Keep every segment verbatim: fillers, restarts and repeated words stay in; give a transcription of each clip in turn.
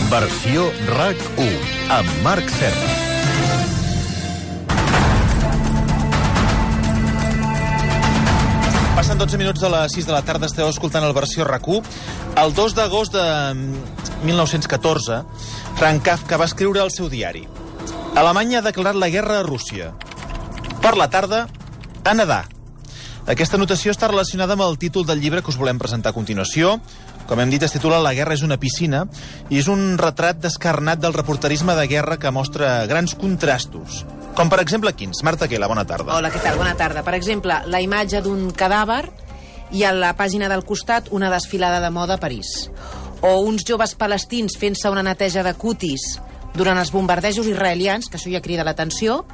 Versió RAC u, amb Marc Serra. Passen dotze minuts de les sis de la tarda, esteu escoltant el Versió RAC u. El dos d'agost de mil nou-cents catorze, Franz Kafka va escriure al seu diari: Alemanya ha declarat la guerra a Rússia. Per la tarda, a nedar. Aquesta notació està relacionada amb el títol del llibre que us volem presentar a continuació. Com hem dit, es titula La guerra és una piscina i és un retrat descarnat del reporterisme de guerra que mostra grans contrastos. Com, per exemple, quins? Marta Quela, bona tarda. Hola, què tal? Bona tarda. Per exemple, la imatge d'un cadàver i a la pàgina del costat una desfilada de moda a París. O uns joves palestins fent-se una neteja de cutis durant els bombardejos israelians, que això ja crida l'atenció,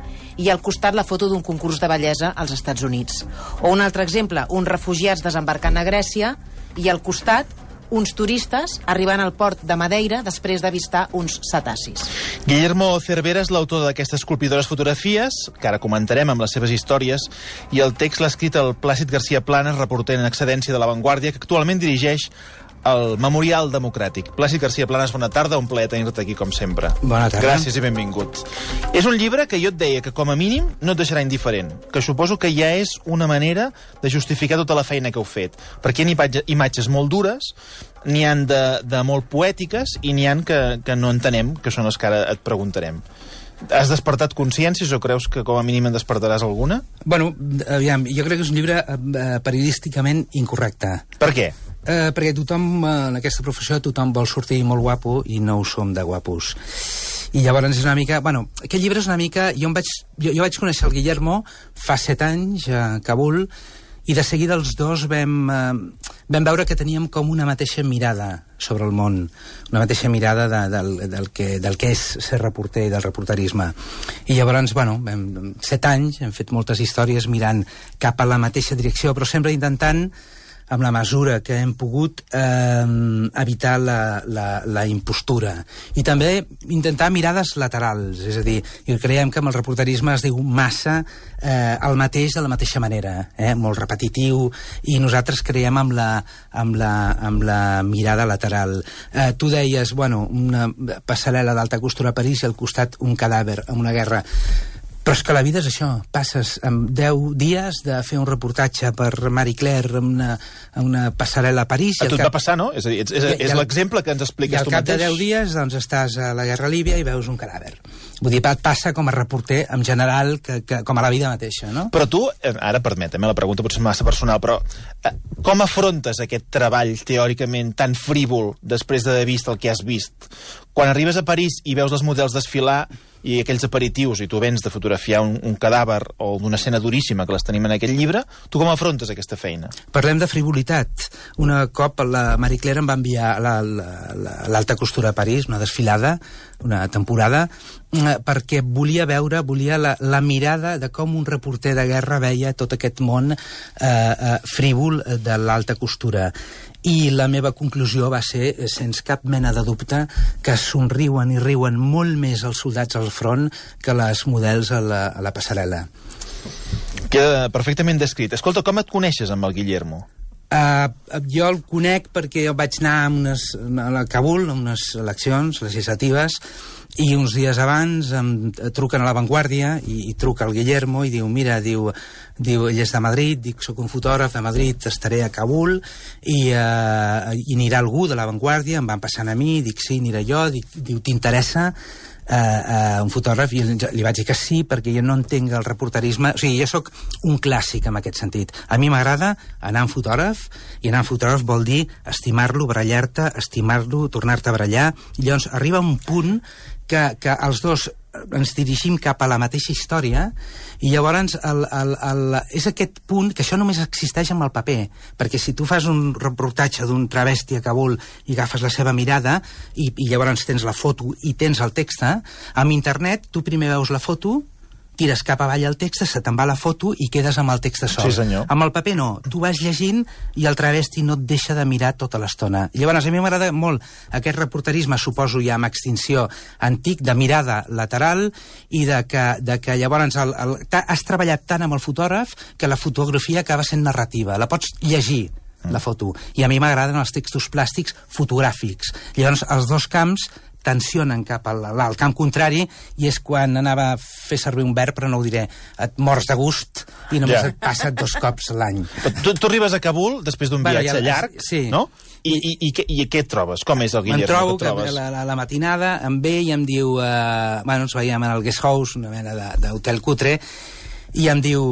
i al costat la foto d'un concurs de bellesa als Estats Units. O un altre exemple, uns refugiats desembarcant a Grècia i al costat uns turistes arribant al port de Madeira després d'avistar uns cetacis. Guillermo Cervera és l'autor d'aquestes colpidores fotografies, que ara comentarem amb les seves històries, i el text l'ha escrit el Plàcid García Planas, reporter en excedència de La Vanguardia, que actualment dirigeix el Memorial Democràtic. Plàcid García Planas, bona tarda, un plaer tenir-te aquí com sempre. Bona tarda. Gràcies i benvingut. És un llibre que jo et deia que com a mínim no et deixarà indiferent, que suposo que ja és una manera de justificar tota la feina que heu fet, perquè hi ha imatges molt dures, n'hi han de, de molt poètiques i n'hi han que, que no entenem, que són les que ara et preguntarem. Has despertat consciències o creus que com a mínim en despertaràs alguna? Bueno, aviam, jo crec que és un llibre eh, periodísticament incorrecte. Per què? Eh, perquè tothom, eh, en aquesta professió, tothom vol sortir molt guapo i no ho som de guapos. I llavors és una mica... Bueno, aquest llibre és una mica... Jo, em vaig, jo, jo vaig conèixer el Guillermo fa set anys a Kabul i de seguida els dos vam, eh, vam veure que teníem com una mateixa mirada sobre el món, una mateixa mirada de, del, del, que, del que és ser reporter i del reporterisme. I llavors, bueno, vam, set anys, hem fet moltes històries mirant cap a la mateixa direcció, però sempre intentant, amb la mesura que hem pogut, eh, evitar la, la, la impostura. I també intentar mirades laterals, és a dir, creiem que amb el reporterisme es diu massa eh, el mateix de la mateixa manera, eh, molt repetitiu, i nosaltres creiem amb la, amb la, amb la mirada lateral. Eh, tu deies, bueno, una passarel·la d'alta costura a París i al costat un cadàver en una guerra. Però és que la vida és això, passes amb deu dies de fer un reportatge per Marie Claire en una, en una passarel·la a París... A tu et cap... va passar, no? És a dir, és, és, és l'exemple que ens expliques tu mateix. I al cap de deu dies doncs, estàs a la guerra a Líbia i veus un cadàver. Vull dir, et passa com a reporter en general, que, que, com a la vida mateixa, no? Però tu, ara permetem, la pregunta potser és massa personal, però eh, com afrontes aquest treball teòricament tan frívol després d'haver vist el que has vist? Quan arribes a París i veus els models desfilar i aquells aperitius, i tu vens de fotografiar un, un cadàver o d'una escena duríssima que les tenim en aquest llibre, tu com afrontes aquesta feina? Parlem de frivolitat. Una cop la Marie Claire em va enviar a l'alta costura a París, una desfilada, una temporada, perquè volia veure, volia la, la mirada de com un reporter de guerra veia tot aquest món eh, eh, frívol de l'alta costura. I la meva conclusió va ser, sense cap mena de dubte, que somriuen i riuen molt més els soldats al front que les models a la, a la passarel·la. Queda perfectament descrit. Escolta, com et coneixes amb el Guillermo? Uh, jo el conec perquè vaig anar a, unes, a Kabul, a unes eleccions legislatives, i uns dies abans em truquen a La Vanguardia i, i truca el Guillermo i diu, mira, diu, diu ell és de Madrid, dic, soc un fotògraf de Madrid, estaré a Kabul i, uh, i anirà algú de La Vanguardia, em van passant a mi, dic, sí, aniré jo, dic, diu, t'interessa uh, uh, un fotògraf? I li vaig dir que sí, perquè jo no entenc el reporterisme, o sigui, jo sóc un clàssic en aquest sentit. A mi m'agrada anar amb fotògraf, i anar amb fotògraf vol dir estimar-lo, barallar-te, estimar-lo, tornar-te a barallar, i llavors arriba un punt que, que els dos ens dirigim cap a la mateixa història i llavors el, el, el, és aquest punt que això només existeix amb el paper, perquè si tu fas un reportatge d'un travesti a Kabul i agafes la seva mirada i, i llavors tens la foto i tens el text, amb internet tu primer veus la foto, tires cap avall el text, se te'n va la foto i quedes amb el text sol. Sí, senyor. Amb el paper no, tu vas llegint i el travesti no et deixa de mirar tota l'estona. I llavors a mi m'agrada molt aquest reporterisme, suposo ja amb extinció antic, de mirada lateral i de que, de que llavors el, el, has treballat tant amb el fotògraf que la fotografia acaba sent narrativa, la pots llegir la foto, i a mi m'agraden els textos plàstics fotogràfics. Llavors els dos camps tensionen cap al, al camp contrari, i és quan anava a fer servir un verb, però no ho diré, et mors de gust i només Ja. et passa dos cops l'any. Tu, tu arribes a Kabul després d'un Bueno, viatge ja- llarg, sí. no? I, i, i, què, I què et trobes? Com és el Me'n Guillermo trobo que et que trobes? la, la, la matinada em ve i em diu... Eh, bueno, ens veiem en el guest house, una mena de- d'hotel cutre, i em diu...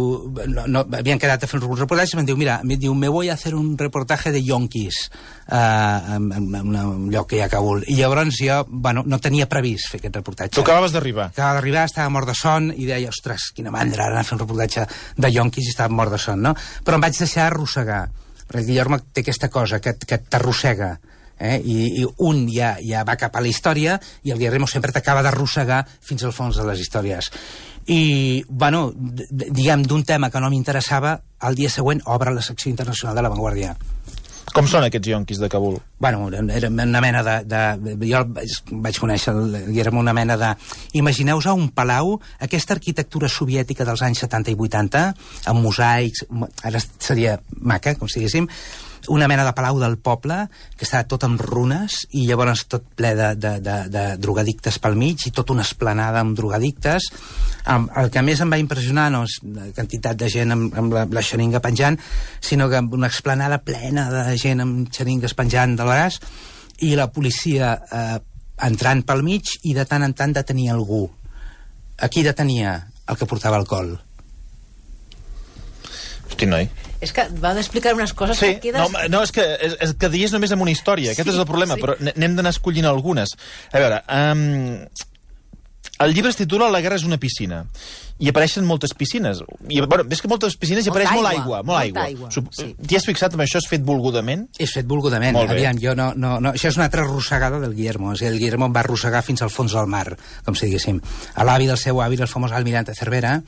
No, no, havien quedat a fer un reportatge, i em diu, mira, em diu, me voy a hacer un reportaje de yonkis eh, en, en, en un lloc que hi ha a Kabul. I llavors jo, bueno, no tenia previst fer aquest reportatge. Tu acabaves d'arribar. Acabava d'arribar, estava mort de son, i deia, ostres, quina mandra, ara anar a fer un reportatge de yonkis i estava mort de son, no? Però em vaig deixar arrossegar, perquè el Guillermo té aquesta cosa que, que t'arrossega, eh? I, i un ja, ja va cap a la història i el Guillermo sempre t'acaba d'arrossegar fins al fons de les històries. I, bueno, d- d- diguem, d'un tema que no m'interessava, al dia següent obre la secció internacional de La Vanguardia. Com són aquests yonquis de Kabul? Bueno, era una mena de... de jo vaig, vaig conèixer el Guillermo, una mena de... Imagineu-vos a un palau, aquesta arquitectura soviètica dels anys setanta i vuitanta, amb mosaics, ara seria maca, com si diguéssim, una mena de palau del poble que està tot en runes i llavors tot ple de, de, de, de drogadictes pel mig i tot una esplanada amb drogadictes. Um, el que més em va impressionar no és la quantitat de gent amb, amb la, la xeringa penjant, sinó que una esplanada plena de gent amb xeringues penjant del braç i la policia eh, entrant pel mig i de tant en tant detenia algú. A qui detenia? El que portava alcohol. Hosti, noi. És que va d'explicar unes coses Sí, que quedes... no, no, és que, és, és que dies només amb una història, aquest Sí, és el problema, sí. però n- n'hem d'anar escollint algunes. A veure, um, el llibre es titula La guerra és una piscina, i apareixen moltes piscines. I, bueno, és que moltes piscines i Molta apareix molt aigua, aigua, molt molta aigua. aigua, Sup- sí. T'hi has fixat amb això? És fet volgudament? És fet volgudament. Molt bé. Aviam, jo no, no, no... Això és una altra arrossegada del Guillermo. O sigui, el Guillermo em va arrossegar fins al fons del mar, com si diguéssim. A l'avi del seu avi, el famós almirante Cervera,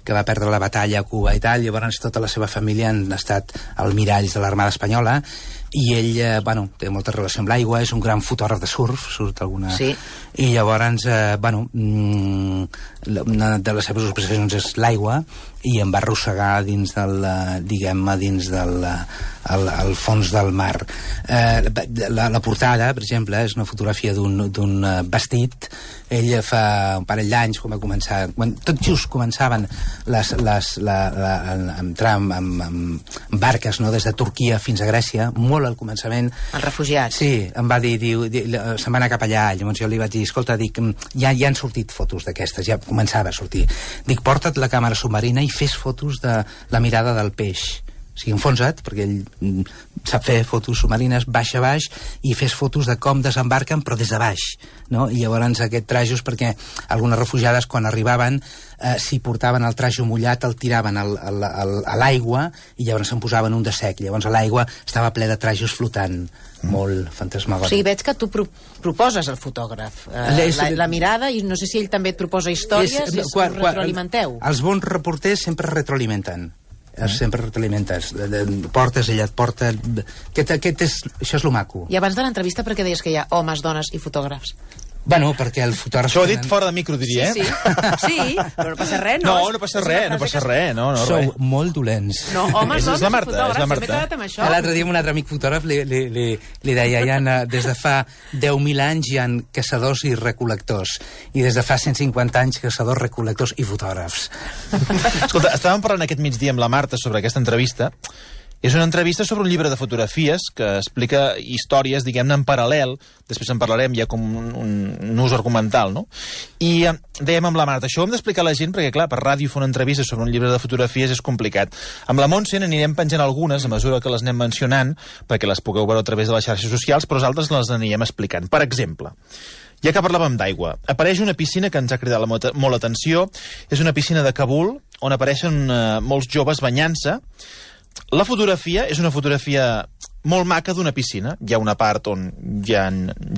que va perdre la batalla a Cuba i tal, llavors tota la seva família han estat almiralls de l'Armada Espanyola, i ell, eh, bueno, té molta relació amb l'aigua, és un gran fotògraf de surf, surt alguna... Sí. I llavors, eh, bueno, mm, una de les seves obsessions és l'aigua, i em va arrossegar dins del, eh, diguem-ne, dins del eh, el, el fons del mar. Eh, la, la portada, per exemple, és una fotografia d'un d'un eh, vestit. Ell fa un parell d'anys, quan va començar, quan tot just començaven les, les, la, la, a entrar amb, amb, amb barques, no?, des de Turquia fins a Grècia, molt al començament. Els refugiats. Sí, em va dir, diu, di, se'n va anar cap allà, llavors jo li vaig dir, escolta, dic, ja, ja han sortit fotos d'aquestes, ja començava a sortir. Dic, porta't la càmera submarina i fes fotos de la mirada del peix. O sigui, enfonsa't, perquè ell mm, sap fer fotos submarines baix a baix, i fes fotos de com desembarquen, però des de baix, no? I llavors aquest trajos, perquè algunes refugiades, quan arribaven, eh, si portaven el trajo mullat, el tiraven al, al, al, a l'aigua, i llavors se'n posaven un de sec. Llavors a l'aigua estava ple de trajos flotant, mm. molt O fantasmagòric. sigui, veig que tu pro proposes al fotògraf eh, És- la, la mirada, i no sé si ell també et proposa històries, És- i es quan- quan- retroalimenteu. Els bons reporters sempre retroalimenten. Mm. Sempre retroalimentes. De, de, portes, ella et porta... Aquest, aquest és, això és lo maco. I abans de l'entrevista, per què deies que hi ha homes, dones i fotògrafs? Bueno, perquè el fotògraf... Això ho ha dit fora de micro, diria, Sí, eh? sí, sí, però no passa res, no? No, És- no passa és una res, no frase passa que- res, no, no, Sou res. molt dolents. No, homes, És- és dones la i Marta, és la fotògrafs, Marta. m'he quedat amb això. L'altre dia un altre amic fotògraf li, li, li, li deia, hi ha, des de fa deu mil anys hi ha caçadors i recol·lectors, i des de fa cent cinquanta anys caçadors, recol·lectors i fotògrafs. Escolta, estàvem parlant aquest migdia amb la Marta sobre aquesta entrevista. És una entrevista sobre un llibre de fotografies que explica històries, diguem-ne, en paral·lel. Després en parlarem ja com un, un, un ús argumental, no? I eh, dèiem amb la Marta, això ho hem d'explicar a la gent perquè, clar, per ràdio fer una entrevista sobre un llibre de fotografies és complicat. Amb la Montse n'anirem penjant algunes a mesura que les anem mencionant perquè les pugueu veure a través de les xarxes socials, però nosaltres les anirem explicant. Per exemple, ja que parlàvem d'aigua, apareix una piscina que ens ha cridat la molt, molt atenció. És una piscina de Kabul on apareixen eh, molts joves banyant-se. La fotografia és una fotografia molt maca d'una piscina. Hi ha una part on hi ha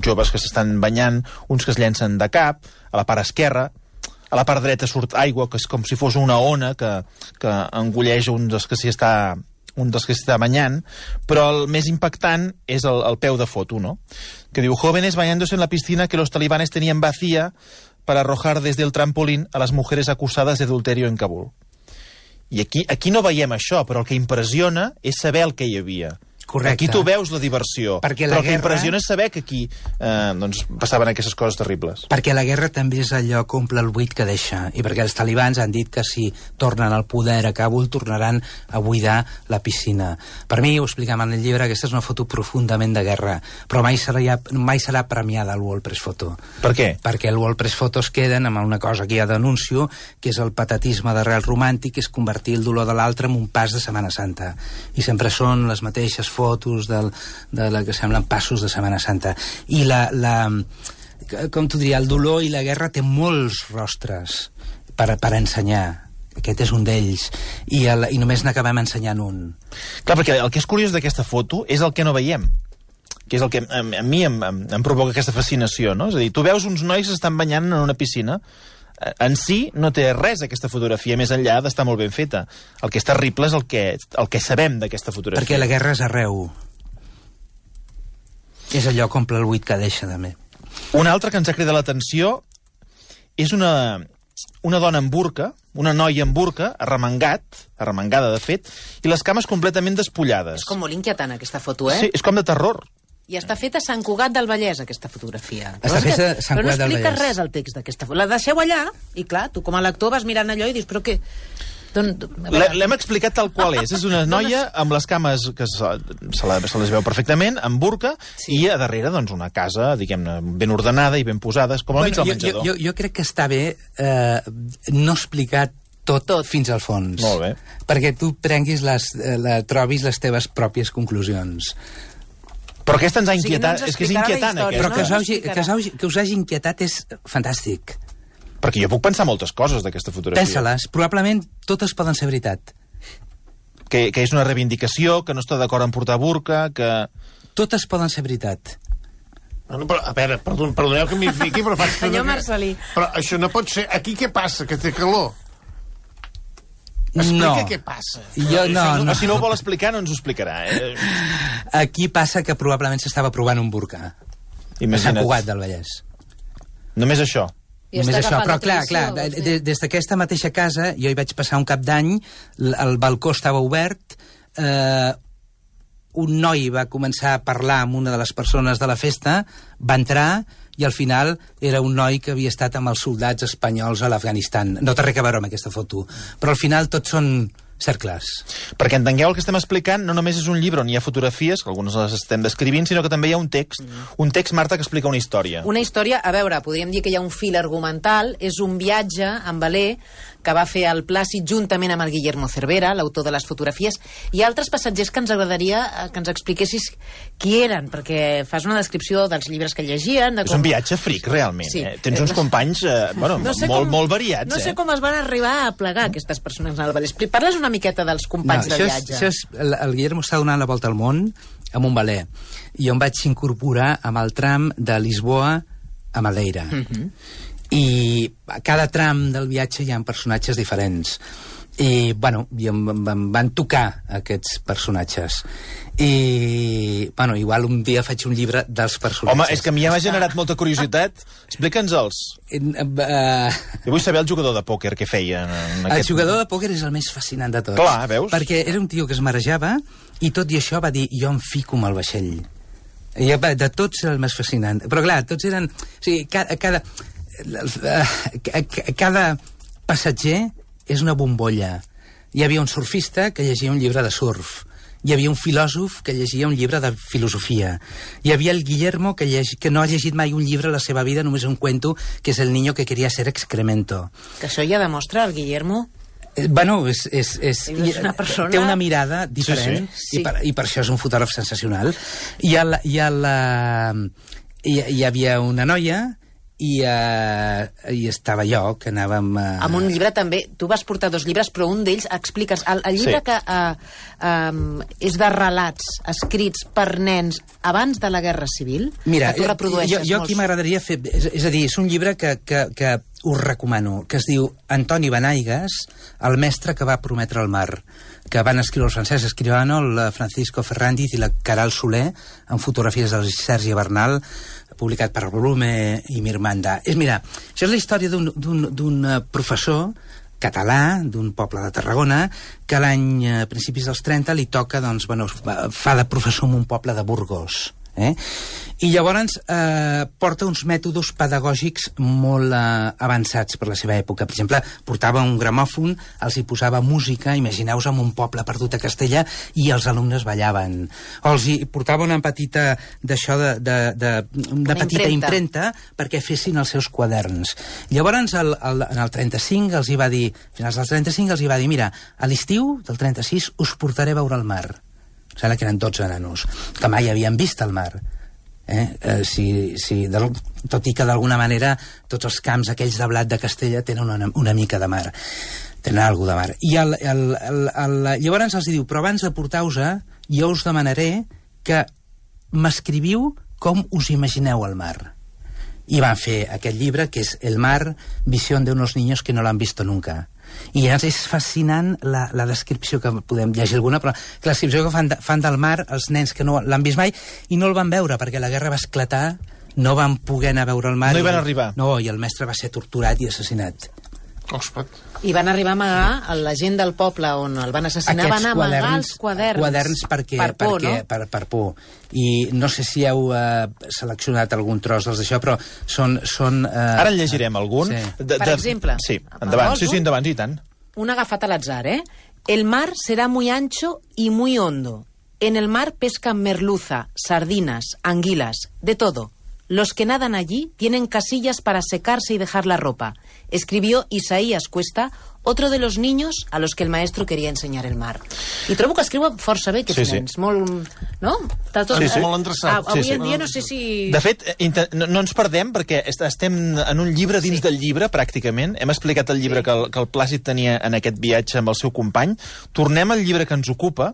joves que s'estan banyant, uns que es llencen de cap, a la part esquerra. A la part dreta surt aigua, que és com si fos una ona que, que engolleix un dels que s'hi està un dels que s'està banyant, però el més impactant és el, el peu de foto, no? Que diu, jóvenes bañándose en la piscina que los talibanes tenían vacía para arrojar desde el trampolín a las mujeres acusadas de adulterio en Kabul. I aquí, aquí no veiem això, però el que impressiona és saber el que hi havia. Correcte. Aquí tu veus la diversió, Perquè la però el que guerra- impressiona és saber que aquí eh, doncs, passaven aquestes coses terribles. Perquè la guerra també és allò que omple el buit que deixa, i perquè els talibans han dit que si tornen al poder a Kabul tornaran a buidar la piscina. Per mi, ho explicam en el llibre, aquesta és una foto profundament de guerra, però mai serà, mai serà premiada el World Press Photo. Per què? Perquè el World Press Photo es queden amb una cosa que ja denuncio, que és el patetisme d'arrel romàntic, que és convertir el dolor de l'altre en un pas de Setmana Santa. I sempre són les mateixes fotos del, de la que semblen passos de Setmana Santa. I la, la, com t'ho diria, el dolor i la guerra té molts rostres per, per ensenyar. Aquest és un d'ells. I, el, I només n'acabem ensenyant un. Clar, perquè el que és curiós d'aquesta foto és el que no veiem, que és el que a, a mi em, em, em provoca aquesta fascinació, no? És a dir, tu veus uns nois que estan banyant en una piscina. En si no té res aquesta fotografia, més enllà d'estar molt ben feta. El que és terrible és el que, el que sabem d'aquesta fotografia. Perquè la guerra és arreu. És allò que omple el buit que deixa, també. Una altra que ens ha cridat l'atenció és una, una dona en burca, una noia en burca, arremangat, arremangada de fet, i les cames completament despullades. És com molt inquietant, aquesta foto, eh? Sí, és com de terror. I està feta a Sant Cugat del Vallès, aquesta fotografia. Està és que- feta a Sant però no Cugat del explica Vallès. res al text d'aquesta foto. La deixeu allà, i clar, tu com a lector vas mirant allò i dius, però què? Don, a veure, L'he- L'hem explicat tal qual és. És una noia amb les cames que se, se, la, se les veu perfectament, amb burca, sí. I a darrere doncs, una casa, diguem-ne, ben ordenada i ben posada, com al mig del jo, menjador. jo, jo crec que està bé eh, no explicar tot, tot fins al fons. Molt bé. Perquè tu prenguis les, eh, la, trobis les teves pròpies conclusions. Però aquesta ens ha O sigui, no inquietat. ens És que és explicarà la inquietant, història, aquesta. Però que us, no? hagi, que, us hagi, que us hagi inquietat és fantàstic. Perquè jo puc pensar moltes coses d'aquesta fotografia. Pensa-les. Probablement totes poden ser veritat. Que, que és una reivindicació, que no està d'acord en portar burca, que... Totes poden ser veritat. Bueno, però, a veure, perdon, perdoneu que m'hi fiqui, però faig... Senyor Marcelí. Però això no pot ser... Aquí què passa? Que té calor? Explica No. què passa. Jo, no, O no. si no ho vol explicar, no ens ho explicarà. Eh? Aquí passa que probablement s'estava provant un burca. A Sant Imagina't. Cugat del Vallès. Només això. I Només està això, agafant però la clar, tradició, clar, vols dir? des, des d'aquesta mateixa casa jo hi vaig passar un cap d'any, l- el balcó estava obert, eh, un noi va començar a parlar amb una de les persones de la festa, va entrar i al final era un noi que havia estat amb els soldats espanyols a l'Afganistan. No té res a veure amb aquesta foto, però al final tots són cercles. Perquè entengueu el que estem explicant, no només és un llibre on hi ha fotografies, que algunes les estem descrivint, sinó que també hi ha un text, un text, Marta, que explica una història. Una història, a veure, podríem dir que hi ha un fil argumental, és un viatge en veler que va fer el Plàcid juntament amb el Guillermo Cervera, l'autor de les fotografies, i altres passatgers que ens agradaria eh, que ens expliquessis qui eren, perquè fas una descripció dels llibres que llegien... De És com... un viatge fric, realment. Sí. Eh? Tens uns companys eh, bueno, No sé molt, com- molt variats. No sé eh? com es van arribar a plegar aquestes persones al Vallès. Parles una miqueta dels companys de això és, viatge. això és, el, el Guillermo està donant la volta al món amb un veler, i jo em vaig incorporar amb el tram de Lisboa a Madeira. Mhm. Mm -hmm. I a cada tram del viatge hi ha personatges diferents. I, bueno, i em, em, em van tocar aquests personatges. I, bueno, igual un dia faig un llibre dels personatges. Home, és que a mi ja m'ha generat molta curiositat. Explica'ns-els. Uh, Jo vull saber el jugador de pòquer que feia. En El aquest... jugador de pòquer és el més fascinant de tots. Clar, veus? Perquè era un tio que es marejava i tot i això va dir, jo em fico amb el vaixell. I de tots era el més fascinant. Però clar, tots eren... O sigui, cada, cada, cada passatger és una bombolla. Hi havia un surfista que llegia un llibre de surf. Hi havia un filòsof que llegia un llibre de filosofia. Hi havia el Guillermo que, lleg... que no ha llegit mai un llibre a la seva vida, només un cuento, que és el niño que quería ser excremento. Que això ja demostra, el Guillermo... Eh, Bueno, és, és, és, És una persona- té una mirada diferent, Sí, sí. I, per, i per això és un fotògraf sensacional. I, el, i, el, hi, hi havia una noia i, uh, i estava jo, que anàvem... Uh... Amb un llibre també, tu vas portar dos llibres, però un d'ells, explica'ns, el, el llibre Sí. que uh, um, és de relats escrits per nens abans de la Guerra Civil, Mira, que tu jo, reprodueixes jo aquí molts. m'agradaria fer... És, és a dir, és un llibre que, que, que us recomano, que es diu Antoni Benaigas, el mestre que va prometre el mar, que van escriure el Francesc Escribano, el Francisco Ferrandiz i la Caral Soler, amb fotografies del Sergi Bernal, publicat per Blume i Mirmanda. És, mira, això és la història d'un- d'un d'un, eh, professor català, d'un poble de Tarragona, que l'any, a principis dels trenta, li toca, doncs, bueno, fa de professor en un poble de Burgos. Eh? I llavors eh, porta uns mètodes pedagògics molt eh, avançats per la seva època. Per exemple, portava un gramòfon, els hi posava música, imagineu-vos en un poble perdut a Castella, i els alumnes ballaven. O els hi portava una petita d'això de, de, de, una, una petita impremta. impremta perquè fessin els seus quaderns. Llavors, el, el, en el trenta-cinc els hi va dir, a finals del trenta-cinc els hi va dir, mira, a l'estiu del trenta-sis us portaré a veure el mar. Sembla que eren dotze nanos, que mai havien vist el mar. Eh? Eh, si, si, de, tot i que d'alguna manera tots els camps aquells de blat de Castella tenen una, una mica de mar. Tenen alguna de mar. I el, el, el, el, llavors els diu, però abans de portar-vos, jo us demanaré que m'escriviu com us imagineu el mar. I van fer aquest llibre, que és El mar, visión de unos niños que no l'han visto nunca. I llavors és fascinant la, la descripció, que podem llegir alguna, però la descripció que fan, de, fan del mar els nens que no l'han vist mai i no el van veure perquè la guerra va esclatar, no van poder anar a veure el mar. No hi van i, arribar. No, i el mestre va ser torturat i assassinat. Ospat. I van arribar a amagar, la gent del poble on el van assassinar Aquests van amagar quaderns, els quaderns. Quaderns perquè, per por, perquè, no? per, per por. I no sé si heu eh, seleccionat algun tros dels d'això, però són... són eh, Ara en llegirem algun. Sí. De, de, Per exemple. Sí, endavant. Vols Sí, sí, un? endavant, i tant. Un agafat al azar, ¿eh? El mar será muy ancho y muy hondo. En el mar pescan merluza, sardinas, anguilas, de todo. Los que nadan allí tienen casillas para secarse y dejar la ropa. Escribió Isaías Cuesta, otro de los niños a los que el maestro quería ensenyar el mar. I trobo que escriuen força bé aquests Sí, sí. nens. Molt, no? Està tot, Sí, sí. Molt endreçat. Ah, avui Sí, sí. en dia no sé si... De fet, inter... no, no ens perdem perquè est- estem en un llibre dins Sí. del llibre, pràcticament. Hem explicat el llibre Sí. que, el, que el Plàcid tenia en aquest viatge amb el seu company. Tornem al llibre que ens ocupa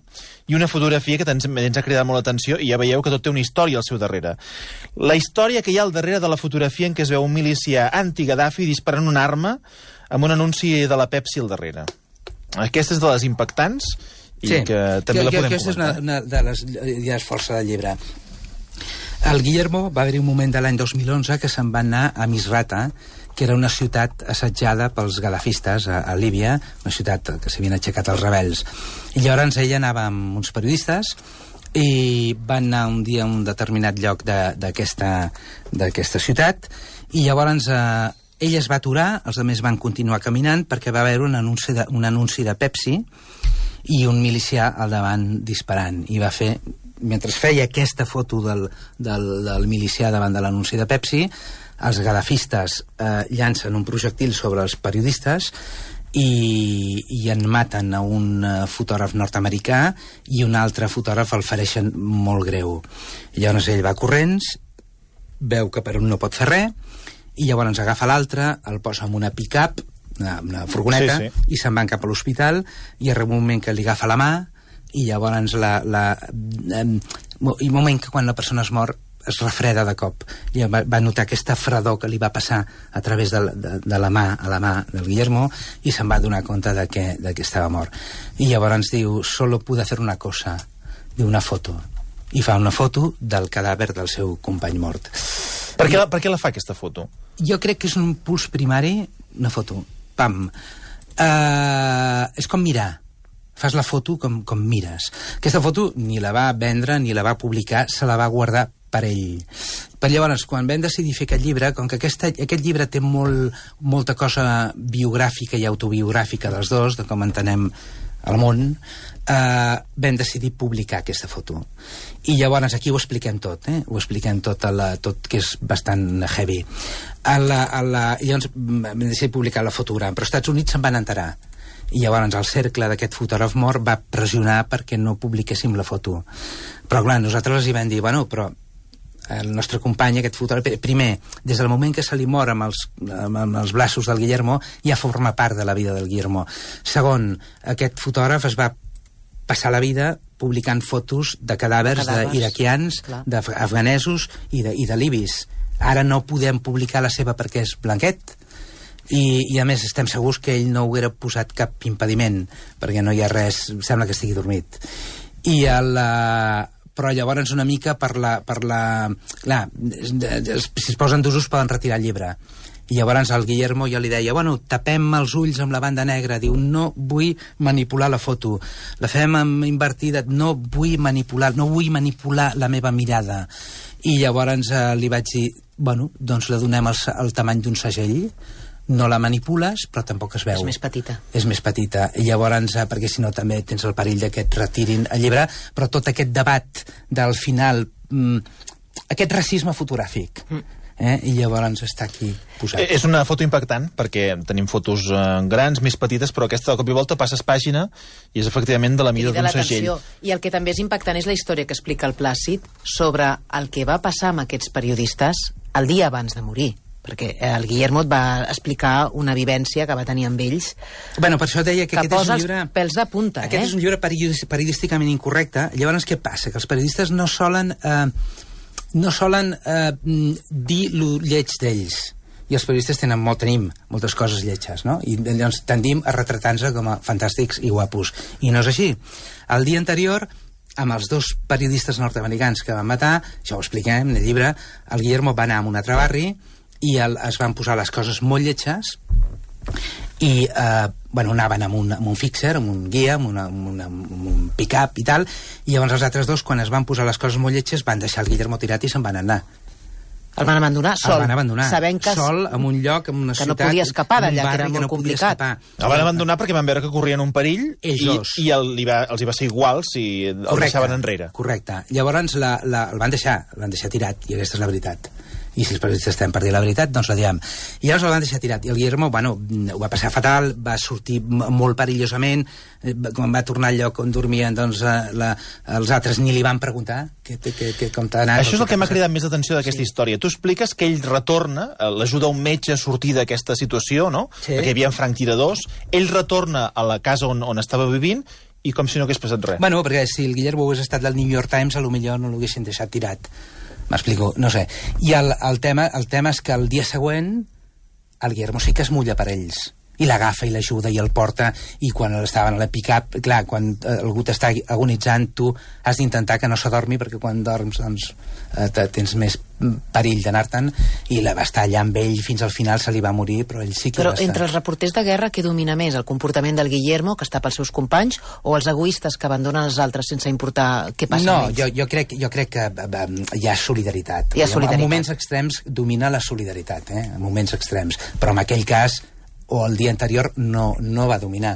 i una fotografia que ens, ens ha cridat molt l'atenció i ja veieu que tot té una història al seu darrere. La història que hi ha al darrere de la fotografia en què es veu un milicià anti-Gaddafi disparant una arma amb un anunci de la Pepsi al darrere. Aquesta és de les impactants i Sí, que també que, la que, podem aquesta comentar. és una, una de les idees força del llibre. El Guillermo va haver-hi un moment de l'any dos mil onze que se'n va anar a Misrata, que era una ciutat assetjada pels gadafistes a, a Líbia, una ciutat que s'havien aixecat els rebels. I llavors ella anava amb uns periodistes i van anar un dia a un determinat lloc d'aquesta d'aquesta ciutat i llavors eh, ell es va aturar, els altres van continuar caminant perquè va haver un anunci de, un anunci de Pepsi i un milicià al davant disparant i va fer, mentre feia aquesta foto del, del, del milicià davant de l'anunci de Pepsi, els gadafistes eh, llancen un projectil sobre els periodistes i, i en maten a un uh, fotògraf nord-americà i un altre fotògraf el fereixen molt greu. I llavors ell va corrents, veu que per un no pot fer res, i llavors agafa l'altre, el posa en una pick-up, una, una furgoneta, Sí, sí. i se'n van cap a l'hospital, i arriba un moment que li agafa la mà, i llavors la, la, eh, i un moment que quan la persona es mor es refreda de cop. I va, va notar aquesta fredor que li va passar a través de, de, de la mà a la mà del Guillermo i se'n va donar compte de que, de que estava mort. I llavors diu, solo pude hacer una cosa, diu una foto. I fa una foto del cadàver del seu company mort. Per què, la, per què la fa, aquesta foto? Jo crec que és un impuls primari, una foto. Pam. Uh, és com mirar. Fas la foto com, com mires. Aquesta foto ni la va vendre ni la va publicar, se la va guardar per ell. Per llavors, quan vam decidir fer aquest llibre, com que aquesta, aquest llibre té molt, molta cosa biogràfica i autobiogràfica dels dos, de com entenem el món, eh, vam decidir publicar aquesta foto. I llavors aquí ho expliquem tot, eh? Ho expliquem tot, a la, tot que és bastant heavy. A la, a la, llavors vam decidir publicar la fotograma, però als Estats Units se'n van enterar. I llavors el cercle d'aquest fotògraf mort va pressionar perquè no publiquéssim la foto. Però clar, nosaltres els hi vam dir, bueno, però el nostre company, aquest fotògraf, primer, des del moment que se li mor amb els, amb els braços del Guillermo, ja forma part de la vida del Guillermo. Segon, aquest fotògraf es va passar la vida publicant fotos de cadàvers, Cadàvers, d'iraquians, clar. d'afganesos i de, i de libis. Ara no podem publicar la seva perquè és blanquet, i, i a més estem segurs que ell no haguera posat cap impediment, perquè no hi ha res, sembla que estigui dormit. I el, uh, però llavors una mica per la... Per la clar, si es posen d'usos poden retirar el llibre. I llavors al Guillermo jo li deia, bueno, tapem els ulls amb la banda negra. Diu, no vull manipular la foto. La fem invertida, no vull manipular, no vull manipular la meva mirada. I llavors eh, li vaig dir, bueno, doncs la donem el, el tamany d'un segell, no la manipules, però tampoc es veu. És més petita. És més petita. I llavors, eh, perquè si no també tens el perill de que et retirin el llibre, però tot aquest debat del final, mm, aquest racisme fotogràfic, mm. Eh? I llavors està aquí posat. És una foto impactant, perquè tenim fotos eh, grans, més petites, però aquesta de cop i volta passes pàgina i és efectivament de la mida d'un segell. I el que també és impactant és la història que explica el Plàcid sobre el que va passar amb aquests periodistes el dia abans de morir. Perquè el Guillermo et va explicar una vivència que va tenir amb ells. Bueno, per això deia que, que aquest és un llibre... llibre... pèls de punta, aquest eh? és un llibre periodísticament incorrecte. Llavors, què passa? Que els periodistes no solen... Eh, no solen eh, dir lo lleig d'ells. I els periodistes tenen molt, tenim moltes coses lletges, no? I llavors tendim a retratar-nos com a fantàstics i guapos. I no és així. El dia anterior, amb els dos periodistes nord-americans que van matar, això ho expliquem en el llibre, el Guillermo va anar a un altre barri i el, es van posar les coses molt lletges i eh, bueno, anaven amb un, amb un fixer, amb un guia, amb, una, amb, una, amb un pick-up i tal, i llavors els altres dos, quan es van posar les coses molt lletges, van deixar el Guillermo tirat i se'n van anar. El van abandonar sol, el van abandonar, sabent que, sol, en un lloc, en una que ciutat... no podia escapar d'allà, que era que molt no complicat. El van abandonar perquè van veure que corrien un perill Ells i, dos. i el, li va, els hi va ser igual si el Correcte, deixaven enrere. Correcte. Llavors la, la, el van deixar, el van deixar tirat, i aquesta és la veritat. I si els periodistes estem per dir la veritat, doncs la diem. I llavors el van deixar tirat. I el Guillermo, bueno, ho va passar fatal, va sortir molt perillosament, quan va tornar al lloc on dormien, doncs la, els altres ni li van preguntar que, que, que, com t'ha anat. Això és el que m'ha cridat més l'atenció d'aquesta sí. història. Tu expliques que ell retorna, l'ajuda un metge a sortir d'aquesta situació, no? Sí. Perquè hi havia franctiradors. Ell retorna a la casa on, on estava vivint i com si no hagués passat res. Bueno, perquè si el Guillermo hagués estat del New York Times, a lo millor no l'haguessin deixat tirat. M'explico, no sé. I el, el, tema, el tema és que el dia següent el Guillermo sí que es mulla per ells. I l'agafa i l'ajuda i el porta, i quan estaven a la pick-up, clar, quan algú t'està agonitzant, tu has d'intentar que no s'adormi, perquè quan dorms doncs, eh, tens més perill d'anar-te'n, i la va estar allà amb ell fins al final, se li va morir, però ell sí que però va estar. Entre els reporters de guerra, què domina més? El comportament del Guillermo, que està pels seus companys, o els egoistes que abandonen els altres sense importar què passa no, amb ells? No, jo, jo, crec, jo crec que eh, hi ha solidaritat. Hi ha solidaritat. En moments extrems domina la solidaritat, eh? En moments extrems. Però en aquell cas, o el dia anterior, no, no va dominar.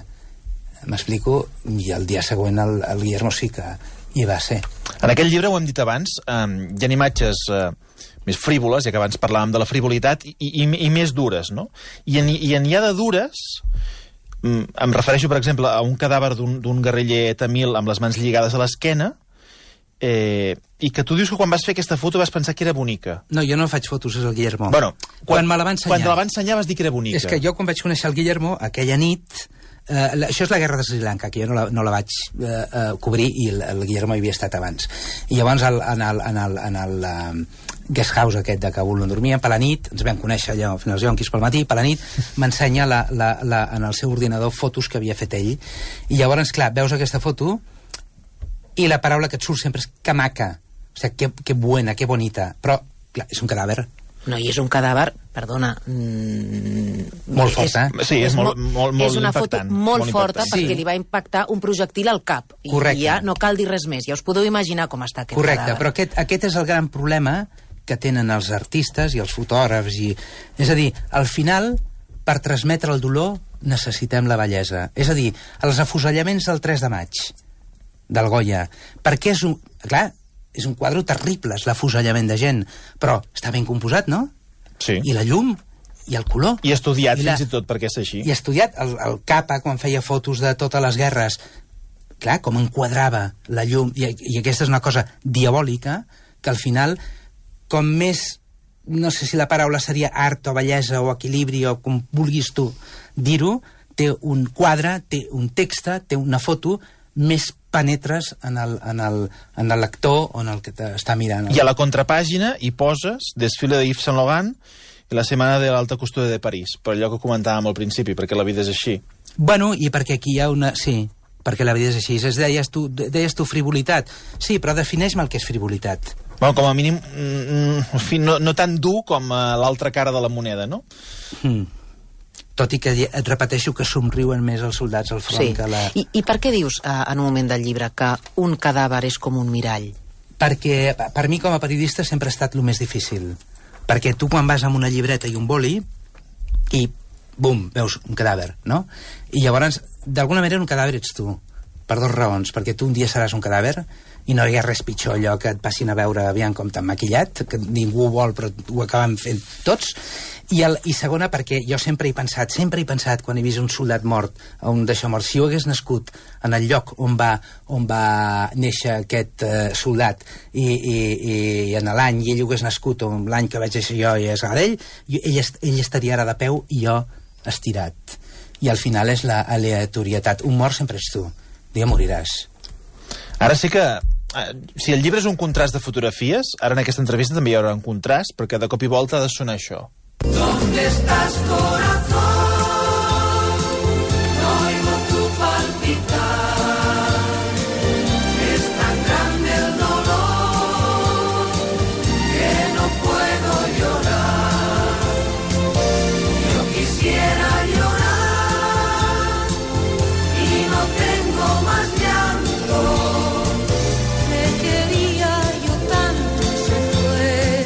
M'explico? I el dia següent el, el Guillermo sí que hi va ser. En aquell llibre, ho hem dit abans, eh, hi ha imatges eh, més frívoles, ja que abans parlàvem de la frivolitat, i, i, i més dures, no? I en, i en hi ha de dures, mm, em refereixo, per exemple, a un cadàver d'un guerriller tamil amb les mans lligades a l'esquena, Eh, i que tu dius que quan vas fer aquesta foto vas pensar que era bonica. No, jo no faig fotos, és el Guillermo. Bueno, quan, quan me la va ensenyar... Quan te la va ensenyar vas dir que era bonica. És que jo quan vaig conèixer el Guillermo, aquella nit... Eh, la, això és la guerra de Sri Lanka, que jo no la, no la vaig eh, eh, cobrir, i el, el Guillermo hi havia estat abans. I llavors el, en el, en el, en el uh, guest house aquest de Kabul on dormíem, per la nit, ens vam conèixer allà fins als jonquis pel matí, per la nit m'ensenya la, la, la, en el seu ordinador fotos que havia fet ell. I llavors, clar, veus aquesta foto i la paraula que et surt sempre és que maca. O sigui, que, que buena, que bonita. Però, clar, és un cadàver. No, i és un cadàver, perdona... Mm, molt forta, eh? Sí, és, és molt, molt, molt És una impactant, foto molt, molt forta impactant. perquè Sí. li va impactar un projectil al cap. I Correcte. ja no cal dir res més. Ja us podeu imaginar com està aquest Correcte, cadàver. però aquest, aquest és el gran problema que tenen els artistes i els fotògrafs. I, és a dir, al final, per transmetre el dolor, necessitem la bellesa. És a dir, els afusellaments del tres de maig, del Goya, perquè és un... Clar, és un quadre terrible, és l'afusellament de gent, però està ben composat, no? Sí. I la llum, i el color. I estudiat, I la... fins i tot, perquè és així. I estudiat, el, el Capa, quan feia fotos de totes les guerres, clar, com enquadrava la llum, i, i aquesta és una cosa diabòlica, que al final, com més, no sé si la paraula seria art o bellesa o equilibri o com vulguis tu dir-ho, té un quadre, té un text, té una foto, més penetres en el, en el, en el lector o en el que t'està mirant. I a la contrapàgina hi poses desfile de Yves Saint Laurent i la setmana de l'alta costura de París, per allò que comentàvem al principi, perquè la vida és així. Bueno, i perquè aquí hi ha una... Sí, perquè la vida és així. Es deies tu, deies tu frivolitat. Sí, però defineix-me el que és frivolitat. Bueno, com a mínim, mm, en fi, no, no tan dur com a l'altra cara de la moneda, no? Mm. Tot i que et repeteixo que somriuen més els soldats al front Sí. que la... I, I per què dius, eh, en un moment del llibre, que un cadàver és com un mirall? Perquè per mi com a periodista sempre ha estat el més difícil. Perquè tu quan vas amb una llibreta i un boli i, bum, veus un cadàver, no? I llavors, d'alguna manera, un cadàver ets tu. Per dues raons. Perquè tu un dia seràs un cadàver i no hi ha res pitjor allò que et passin a veure aviam com t'han maquillat, que ningú vol però ho acaben fent tots. I, el, I segona, perquè jo sempre he pensat, sempre he pensat, quan he vist un soldat mort, un d'això mort, si jo hagués nascut en el lloc on va, on va néixer aquest eh, soldat i, i, i en l'any, i ell hagués nascut on l'any que vaig néixer jo i és ell, ell, ell estaria ara de peu i jo estirat. I al final és la aleatorietat. Un mort sempre ets tu. Un dia moriràs. Ara sí que, eh, si el llibre és un contrast de fotografies, ara en aquesta entrevista també hi haurà un contrast, perquè de cop i volta ha de sonar això. ¿Dónde estás, corazón? No oigo tu palpitar. Es tan grande el dolor que no puedo llorar. Yo quisiera llorar y no tengo más llanto. Te quería yo tanto, se fue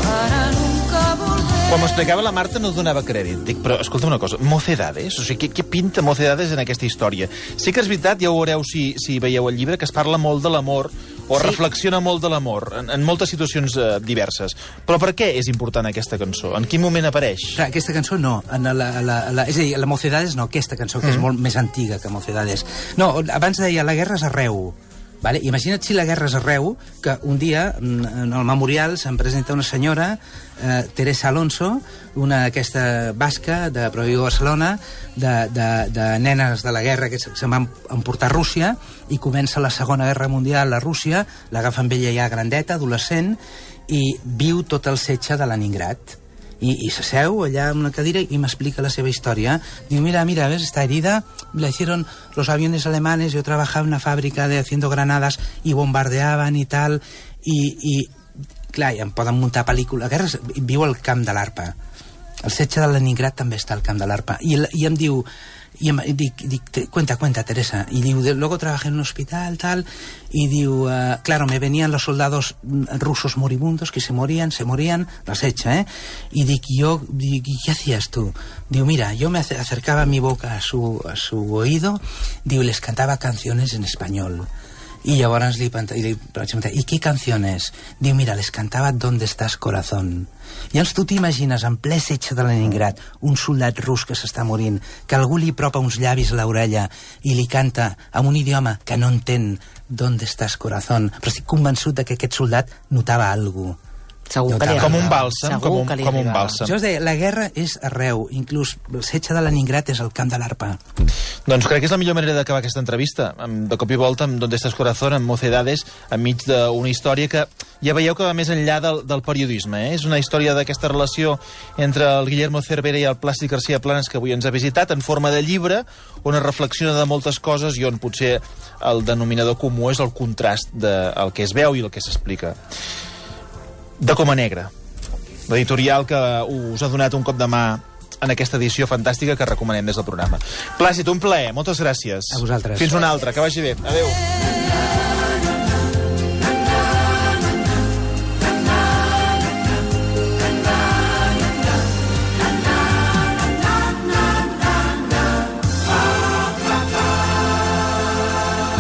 para nunca volver. Quan m'explicava la Marta no donava crèdit. Dic, però escolta una cosa, Mocedades? O sigui, què, què pinta Mocedades en aquesta història? Sí que és veritat, ja ho veureu si, si veieu el llibre, que es parla molt de l'amor, o Sí. reflexiona molt de l'amor, en, en moltes situacions eh, diverses. Però per què és important aquesta cançó? En quin moment apareix? Clar, aquesta cançó no. En la, la, la, és a dir, la Mocedades no, aquesta cançó, que mm. és molt més antiga que Mocedades. No, abans deia, la guerra és arreu. Vale? Imagina't si la guerra és arreu, que un dia en el memorial se'n presenta una senyora, eh, Teresa Alonso, una d'aquesta basca de Provigo Barcelona, de, de, de nenes de la guerra que se'n van emportar a Rússia, i comença la Segona Guerra Mundial a Rússia, l'agafen ella ja grandeta, adolescent, i viu tot el setge de Leningrad. I, i s'asseu allà en una cadira i m'explica la seva història. Diu, mira, mira, ves, esta herida la hicieron los aviones alemanes, yo trabajaba en una fábrica de haciendo granadas y bombardeaban y tal, i, i clar, ja em poden muntar pel·lícula. La guerra és, viu al camp de l'Arpa. El setge de Leningrad també està al camp de l'Arpa. I, i em diu, i em dic, dic, cuenta, cuenta, Teresa. Y diu, luego trabajé en un hospital, tal, y diu, uh, claro, me venían los soldados rusos moribundos que se morían, se morían, las hecha, ¿eh? Y dic, yo, dic, ¿y qué hacías tú? Diu, mira, yo me acercaba mi boca a su, a su oído, diu, y les cantaba canciones en español. I llavors li, li, li pregunta, ¿y qué canciones? Diu, mira, les cantava ¿Dónde estás, corazón? I llavors tu t'imagines en ple setge de Leningrad un soldat rus que s'està morint, que algú li propa uns llavis a l'orella i li canta en un idioma que no entén ¿Dónde estás, corazón? Però estic convençut de que aquest soldat notava alguna cosa. Segur que li Com un agradava. bàlsam, Segur com un, que li com un agradava. bàlsam. Jo us deia, la guerra és arreu, inclús el setge de Leningrad és el camp de l'Arpa. Doncs crec que és la millor manera d'acabar aquesta entrevista. Amb, de cop i volta, amb Donde estás, corazón, amb Mocedades, enmig d'una història que ja veieu que va més enllà del, del periodisme. Eh? És una història d'aquesta relació entre el Guillermo Cervera i el Plàstic García Planas, que avui ens ha visitat, en forma de llibre, on es reflexiona de moltes coses i on potser el denominador comú és el contrast del que es veu i el que s'explica. De Coma Negra, l'editorial que us ha donat un cop de mà en aquesta edició fantàstica que recomanem des del programa. Plàcid, un plaer, moltes gràcies. A vosaltres. Fins una altra, que vagi bé. Adéu.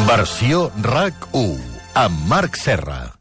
Versió RAC u amb Marc Serra.